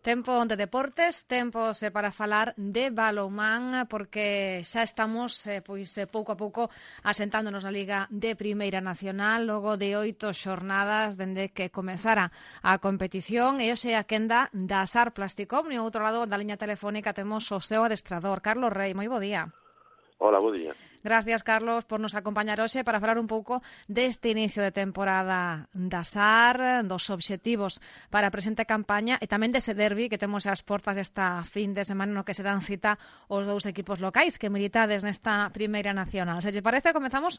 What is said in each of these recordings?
Tempo de deportes, tempo para falar de balonmán, porque xa estamos pouco a pouco asentándonos na Liga de Primeira Nacional, logo de 8 xornadas dende que comezara a competición, e hoxe a quenda da SAR Plasticom. No outro lado da liña telefónica temos o seu adestrador, Carlos Rei. Moi bo día. Hola, bo día. Gracias, Carlos, por nos acompañar hoxe para falar un pouco deste inicio de temporada da SAR, dos obxectivos para a presente campaña e tamén dese derbi que temos ás portas esta fin de semana no que se dan cita os dous equipos locais que militades nesta Primeira Nacional. Se lle parece, comezamos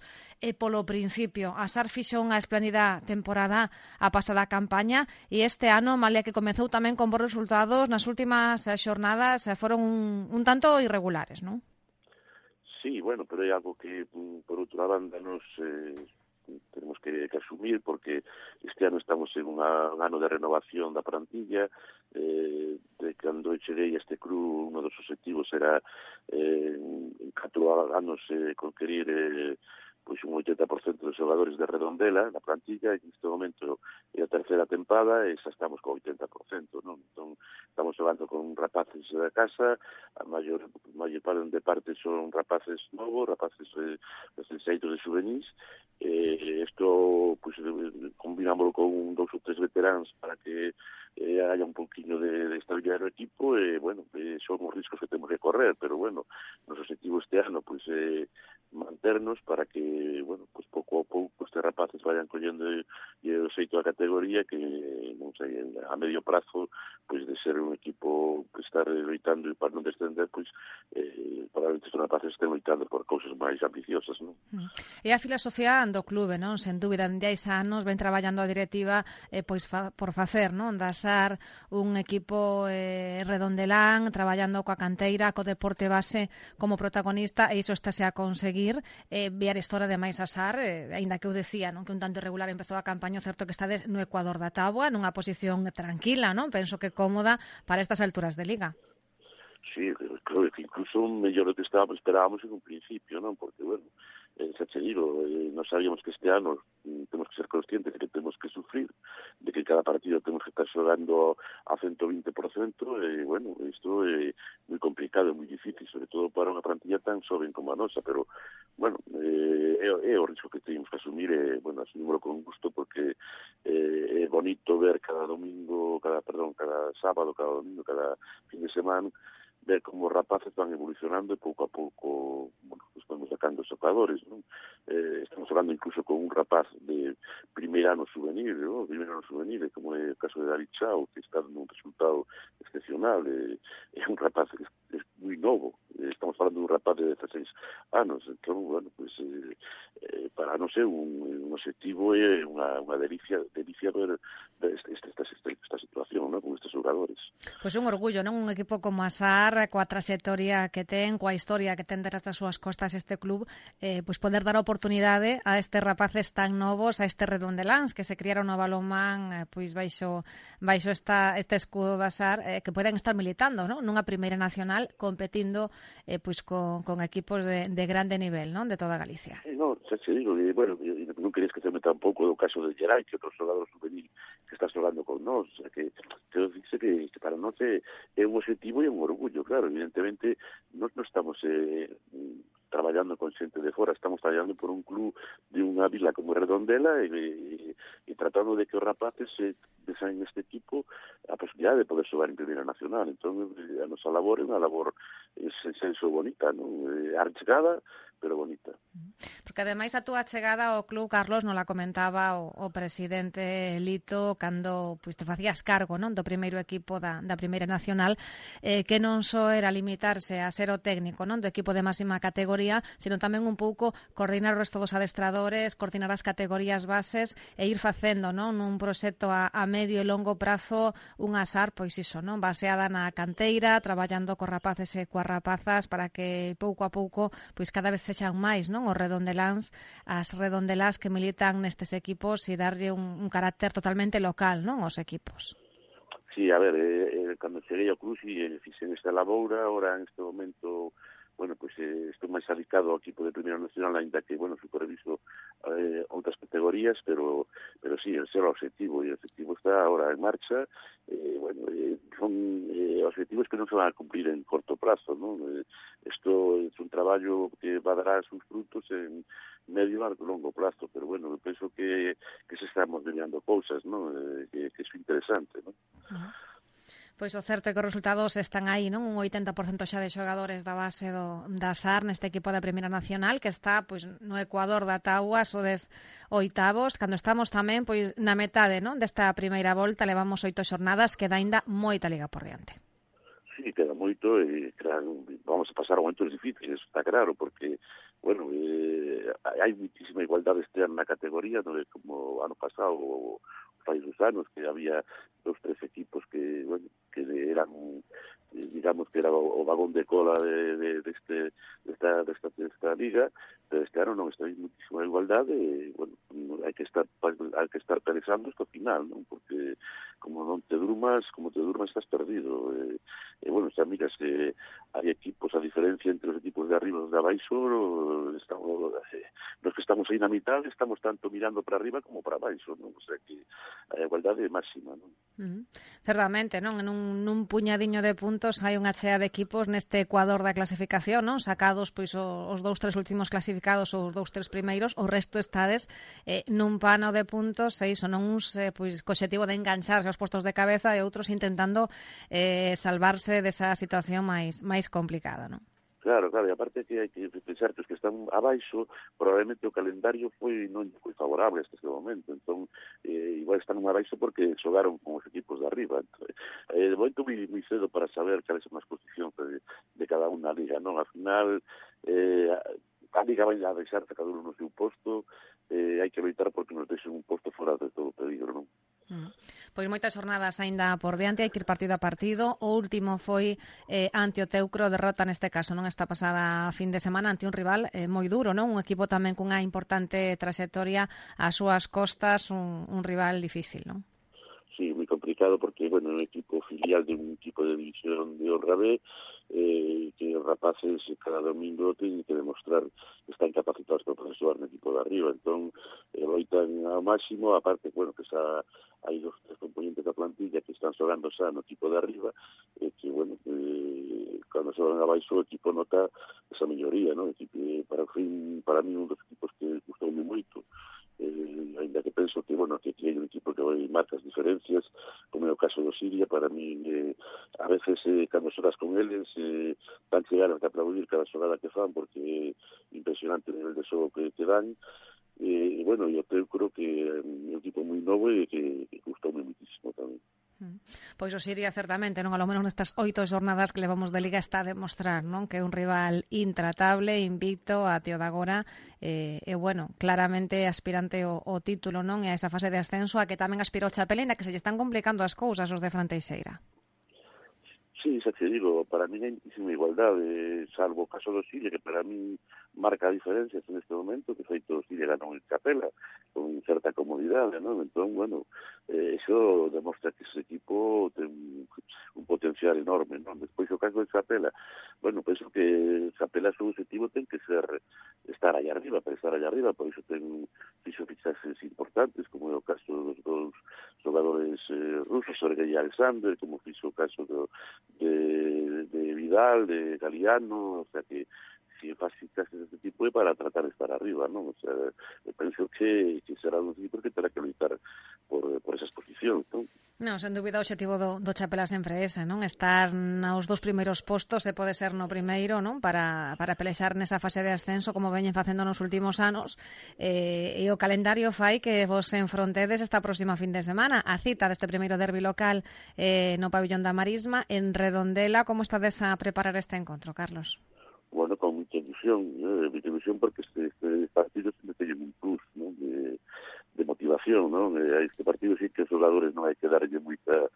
polo principio. A SAR fixo unha espléndida temporada a pasada campaña e este ano, malia que comezou tamén con bons resultados, nas últimas xornadas foron un tanto irregulares, non? Sí, bueno, pero é algo que, por outra banda, nos tenemos que asumir, porque este ano estamos en un ano de renovación da plantilla. De cando cheguei a este club, uno dos objetivos era en 4 anos conquerir pois un 80% dos xogadores de Redondela na plantilla, e neste momento é a terceira tempada e xa estamos con 80%, non? Entón, estamos xogando con rapaces da casa, a maior parte son rapaces novos, rapaces xeitos de juvenis, isto pois combinámoslo con 2 ou 3 veteráns para que haya un poquinho de estabilidade no equipo, e, bueno, son os riscos que temos que correr, pero, bueno, nos objetivo este ano, pois, manternos para que, bueno, pues pouco a pouco estes rapaces vayan collendo o xeito da categoría, que, non sei, a medio prazo, pois de ser un equipo que está loitando para non descender, pois probablemente estes rapaces estén loitando por cousas máis ambiciosas, non? E a filosofía do clube, non? Sen dúbida, dende hai anos ven traballando a directiva pois por facer, non? Da SAR un equipo redondelán, traballando coa canteira, co deporte base como protagonista, e iso estáse a conseguir. Ver história de máis a SAR, aínda que eu decía, non, que un tanto irregular empezou a campaña, certo que estades no ecuador da táboa, nunha posición tranquila, non? Penso que cómoda para estas alturas de Liga. Sí, creo que incluso mellor do que esperábamos en un principio, non? Porque, bueno, xa che digo, non sabíamos que este ano temos que ser conscientes de que temos que sufrir, de que cada partido temos que estar xogando a 120%, e, bueno, isto é moi complicado, é moi difícil, sobre todo para unha plantilla tan xoven como a nosa, pero, bueno, é o risco que temos que asumir, e, bueno, asumímoslo con gusto, porque é bonito ver cada sábado, cada domingo, cada fin de semana, ver como os rapaces van evolucionando e pouco a pouco, bueno, estamos sacando os xogadores, non? Estamos hablando incluso con un rapaz de primeiro ano juvenil, non? Primeiro ano juvenil, como é o caso de David Chao, que está dando un resultado excepcional, é un rapaz que é moi novo, estamos falando de un rapaz de 16 anos, entón, bueno, pues, para non ser un objetivo é unha delicia ver esta situación, non? Con estes xogadores. Pois un orgullo, non? Un equipo como a SAR, coa trayectoria que ten, coa historia que ten detrás das súas costas este club, pois poder dar a oportunidade a estes rapaces tan novos, a estes redondeláns que se criaron no balonmán, pois baixo este escudo da SAR, que poden estar militando, non? Nunha Primeira Nacional, competindo pois con equipos de grande nivel, non? De toda Galicia. Non, xa che digo, bueno, non quería esquecerme tampouco do caso de Geray, que outro xogador juvenil que está xogando con nós, o sea, que dice que para nós é un objetivo e un orgullo, claro, evidentemente nós non estamos traballando con xente de fora, estamos traballando por un club de unha vila como Redondela e tratando de que os rapaces deseen neste equipo a posibilidade de poder xogar en Primeira Nacional. Entón, a nosa labor é unha labor sen senso bonita, non? Archegada, pero bonita. Porque ademais a túa chegada ao club, Carlos, non la comentaba o presidente Lito cando pois te facías cargo, non, do primeiro equipo da Primeira Nacional, que non só era limitarse a ser o técnico, non, do equipo de máxima categoría, sino tamén un pouco coordinar o resto dos adestradores, coordinar as categorías bases e ir facendo, non, un proxecto a medio e longo prazo unha SAR, pois iso, non, baseada na canteira, traballando cos rapaces e coas rapazas para que pouco a pouco pois cada vez sexan máis, non, os redondeláns, as redondelás que militan nestes equipos e darlle un carácter totalmente local, non, aos equipos. Sí, a ver, cando cheguei ao club fixen esta laboura, ahora en este momento, bueno, pues estou máis adicado ao equipo de Primeira Nacional, ainda que, bueno, superviso outras categorías, pero sí, ese é o objetivo, e o objetivo está ahora en marcha, bueno, son objetivos que non se van a cumplir en corto plazo, non? Isto é un traballo que va a dar sus frutos en medio e longo plazo, pero bueno, eu penso que se están modelando cousas, non? Que é interesante, non? Pois o certo é que os resultados están aí, non? Un 80% xa de xogadores da base da SAR neste equipo da Primeira Nacional que está pois no Ecuador da Taua, sodes oitavos, cando estamos tamén pois na metade, non? Desta primeira volta, levamos 8 xornadas, queda aínda moita liga por diante. Sí, queda moito e claro, vamos a pasar momentos difíciles, está claro, porque bueno, hai muitísima igualdade este ano na categoría, non é como ano pasado ou fai dos anos que había 2-3 equipos que, bueno, que eran, digamos que era o vagón de cola desta liga, pero este ano non está aí muitísima igualdade e, bueno, hai que estar pensando hasta o final, non? Porque como te durmas estás perdido. Bueno, xa miras que hai equipos, a diferencia entre os equipos de arriba e os de abaixo, nos que estamos aí na mitad estamos tanto mirando para arriba como para abaixo, non? O sea que a igualdade é máxima, non? Certamente, non? En un puñadiño de puntos hai unha chea de equipos neste Ecuador da clasificación, non? Sacados pois os 2-3 últimos clasificados ou os 2-3 primeiros, o resto estades nun pano de puntos, e iso, non uns pois co obxectivo de engancharse aos postos de cabeza e outros intentando salvarse desa situación máis complicada, non? Claro, e aparte que hai que pensar que os que están abaixo, probablemente o calendario non foi favorable hasta este momento, entón igual están abaixo porque xogaron con os equipos de arriba. De momento moi cedo para saber cales son as posicións de cada unha liga, non? Al final, a liga vai a deixar cada uno no seu posto, hai que evitar porque nos deixen un posto fora de todo o peligro, non? Pois moitas jornadas aínda por diante, hai que ir partido a partido. O último foi ante o Teucro, derrota neste caso, non, esta pasada fin de semana ante un rival moi duro, non? Un equipo tamén cunha importante trayectoria ás súas costas, un rival difícil, non? Sí, moi complicado porque, bueno, é un equipo filial de un equipo de división de Honra B, que os rapaces cada domingo teñen que demostrar que están capacitados para poder xogar no equipo de arriba, entón loitan ao máximo, aparte, bueno, que xa hai 2-3 componentes da plantilla que están xogando xa no equipo de arriba, que, bueno, cando xogan abaixo o equipo nota esa melloría, non? Para mí un dos equipos que gustoume moito, ainda que penso que, bueno, que hai un equipo que marca as diferencias, como é o caso do Siria. Para mí, a veces, cando xogas con eles, van chegar a aplaudir cada xogada que fan, porque é impresionante o nivel de xogo que dan, e, bueno, eu creo que é un equipo moi novo e que gustoume muitísimo tamén. Pois o Siria certamente, non, a lo menos nestas 8 xornadas que levamos de Liga está a demostrar, non, que é un rival intratable, invicto até o de agora, e bueno, claramente aspirante ao título, non, e a esa fase de ascenso a que tamén aspirou Chapela, ainda que se lle están complicando as cousas os de Fran Teixeira. Sí, xa te digo, para mí hai muitísima igualdade, salvo o caso do Siria, que para mí marca diferencias en este momento, que feito o Siria ganou en Capela, con certa comodidade, non? Entón, bueno, iso demostra que ese equipo ten un potencial enorme, non? Despois, o caso de Capela, bueno, penso que Capela, seu objetivo ten que ser estar allá arriba, para estar allá arriba, por iso ten fichaxes importantes, como é o caso dos dous xogadores rusos, Sergei e Alexander, como fixo o caso de Vidal, de Galiano, o sea que si faz fichaxes deste tipo é para tratar de estar arriba, non? O sea, penso que será un equipo que terá que lutar por esas posicións, non? Non, sen dúbida o objetivo do Chapela sempre é ese, non? Estar nos 2 primeiros postos, se pode ser no primeiro, non? Para pelexar nesa fase de ascenso como veñen facendo nos últimos anos, e o calendario fai que vos enfrontedes esta próxima fin de semana. A cita deste primeiro derbi local no pabillón da Marisma, en Redondela. Como estades a preparar este encontro, Carlos? Bueno, con mucha ilusión porque este partido sempre teñen un plus, non? De motivación, non? A este partido sí que os xogadores non hai que darlle moita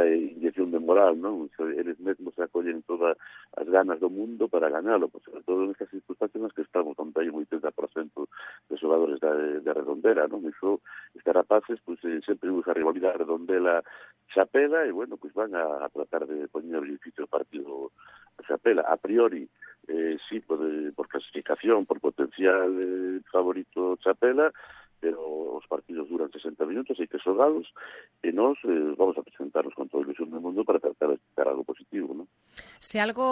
inyección de moral, non? Eles mesmos acollen todas as ganas do mundo para ganalo, pues, sobre todo nestas circunstancias nas que estamos, onde hai un 80% de xogadores de Redondela, non? Iso, estes rapaces, pues, sempre usa a rivalidade Redondela-Chapela, e, bueno, pues van a tratar de poñer difícil o partido a Chapela. A priori, sí, por clasificación, por potencial favorito Chapela, pero os partidos duran 60 minutos, hai que xogados, que nós vamos a presentarnos con toda a ilusión do mundo para tratar de sacar algo positivo, non? Si algo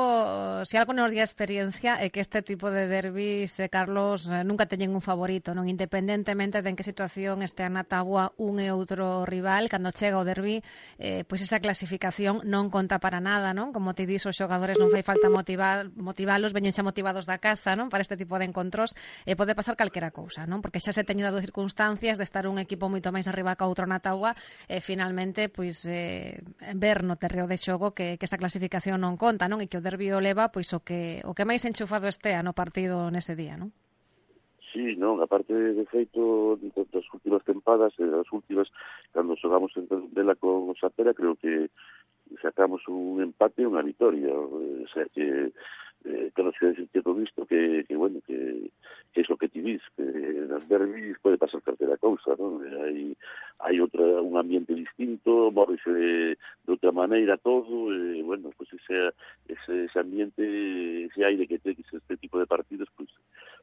nos di a experiencia é que este tipo de derbis, Carlos, nunca teñen un favorito, non, independentemente de en que situación este na táboa un e outro rival, cando chega o derbi, pois esa clasificación non conta para nada, non? Como te dis, os xogadores non fai falta motivalos, veñen xa motivados da casa, non? Para este tipo de encontros, pode pasar calquera cousa, non? Porque xa se teñen dado circunstancias de estar un equipo moito máis arriba que outro na táboa e finalmente, pois, ver no terreo de xogo que esa clasificación non conta, non? E que o derbi o leva pois o que máis enchufado estea no partido nese día, non? Sí, non, aparte de feito das últimas tempadas, das últimas, cando xogamos en dela con o Sapera, creo que sacamos un empate e unha vitoria, o sea que claro, se decir todo isto que bueno, que é o que ti dis, que nas derbis pode pasar calquera cousa, non? Hai un ambiente distinto, móvese de outra maneira todo, bueno, pues ese ambiente, ese aire que tenes este tipo de partidos, pues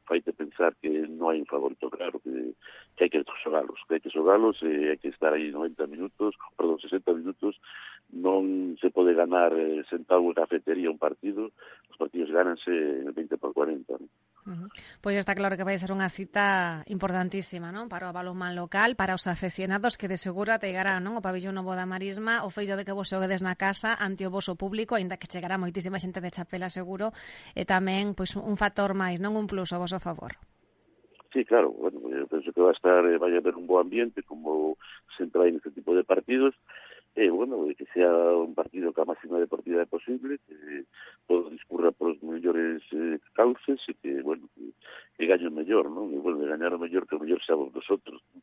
faite pensar que non hai un favorito claro, que hai que xogalos, hai que estar aí 90 minutos, 60 minutos, non se pode ganar sentado en cafetería un partido, os partidos gánanse en 20 por 40, non? Pois está claro que vai ser unha cita importantísima, non? Para o balonmán local, para os afeccionados que de seguro ategarán, non? O pabillón novo da Marisma, o feito de que vos xoguedes na casa ante o voso público, aínda que chegará moitísima xente de Chapela seguro, e tamén pois un factor máis, non un plus ao voso favor. Sí, claro, bueno, eu penso que vai a haber un bo ambiente como sempre hai neste tipo de partidos, bueno, que sea un partido que a máxima deportividade posible, que todo discurra por os mellores cauces e que, bueno, que gañe o mellor, non? E, bueno, gañar o mellor que o mellor xa vos nosotros, non?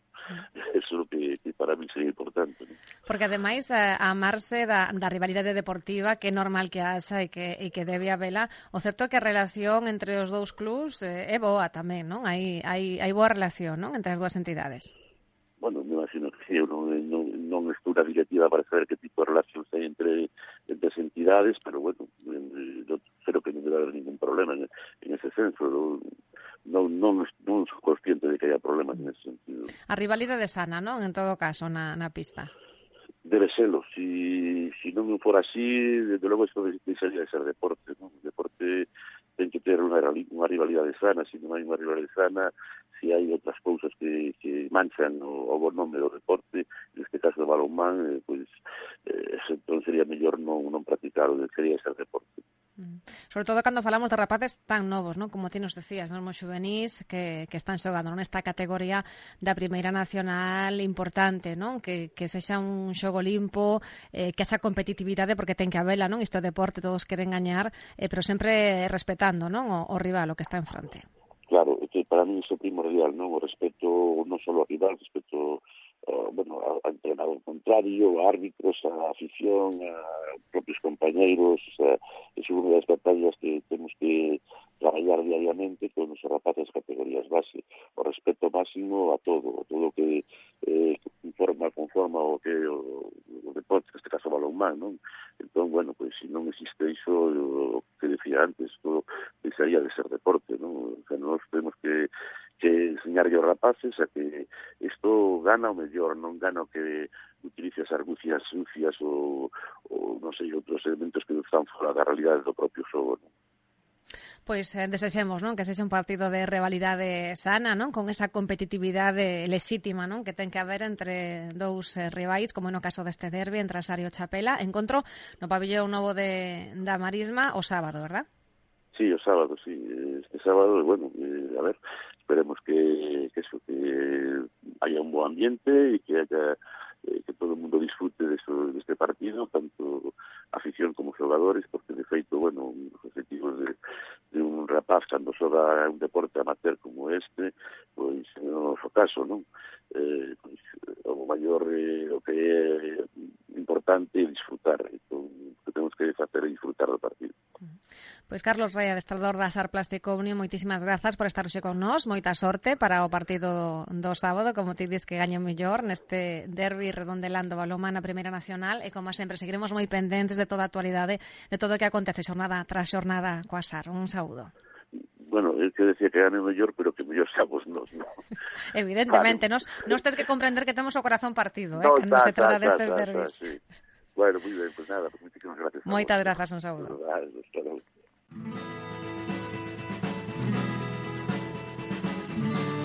Eso é o que para mí sería importante, non? Porque, ademais, amarse da rivalidade deportiva, que é normal que haxa e que debe habela, o certo é que a relación entre os dous clubs é boa tamén, non? Hai boa relación, non? Entre as dúas entidades. Bueno, me imagino que eu non estou na directiva para saber que tipo de relacións hai entre as entidades, pero bueno, creo que non debe haber ningún problema en ese senso. Non sou consciente de que haya problemas en ese sentido. A rivalidade sana, non? En todo caso, na pista. Debe serlo. Si non fora así, desde logo isto deixaría de ser deporte, non? O deporte ten que ter unha rivalidade sana. Se non hai unha rivalidade sana, se hai outras cousas que manchan o bo nome do deporte, neste caso do balonmán, pois entón sería mellor non practicar, sería ser deporte. Sobre todo cando falamos de rapaces tan novos, non? Como ti nos decías, mesmo xuvenís que están xogando nesta categoría da Primeira Nacional importante, non? Que sexa un xogo limpo, que haxa competitividade, porque ten que habela, non? Isto é deporte, todos queren gañar, pero sempre respetando, non? O rival, o que está en fronte. Claro, que para mí iso é primordial, non? O respeto non só ao rival, respeto ao entrenador contrario, a árbitros, a afición, a propios compañeiros, é unha das batallas que temos que traballar diariamente con os rapaces categorías base, o respeto máximo a todo que conforma o que o deporte, neste caso o balonmán, non? Entón, bueno, pois se non existe iso, o que decía antes, todo deixaría de ser deporte, non? O sea, nós temos que enseñarlle aos rapaces a que isto gana o mellor, non gana o que utilice as argucias sucias ou non sei, outros elementos que non están fora da realidade do propio xogo, non? Pois desexemos, non? Que sexa un partido de rivalidade sana, non? Con esa competitividade lexítima, non? Que ten que haber entre dous rivais, como no caso deste derbi entre Asar e o Chapela. Encontro no pabillón novo da Marisma o sábado, verdad? Sí, o sábado, sí. Este sábado, bueno, a ver, esperemos que haya un buen ambiente y que haya que todo el mundo disfrute de este partido, tanto afición como xogadores, porque de feito, bueno, os objetivos de un rapaz cando xoga un deporte amateur como este, pois no noso caso, non? Pois, o maior, o que é importante é disfrutar, entón, o que temos que facer é disfrutar do partido. Pois Carlos Rey, adestrador da Asar Plástico Unión, moitísimas grazas por estar hoxe con nós, moita sorte para o partido do sábado, como ti dis que gaño mellor neste derbi redondelando balonmán na Primeira Nacional, e como sempre seguiremos moi pendentes de toda a actualidade, de todo o que acontece xornada tras xornada coa Asar. Un saúdo. Bueno, que decía que gane o mellor, pero que mellor xamos nós, non? Evidentemente, Vale. nos tens que comprender que temos o corazón partido, No, cando se trata destes derbis. sí. Bueno, moi ben, pues nada, pues moitísimas gracias. Moitas grazas, un saúdo. Hasta logo.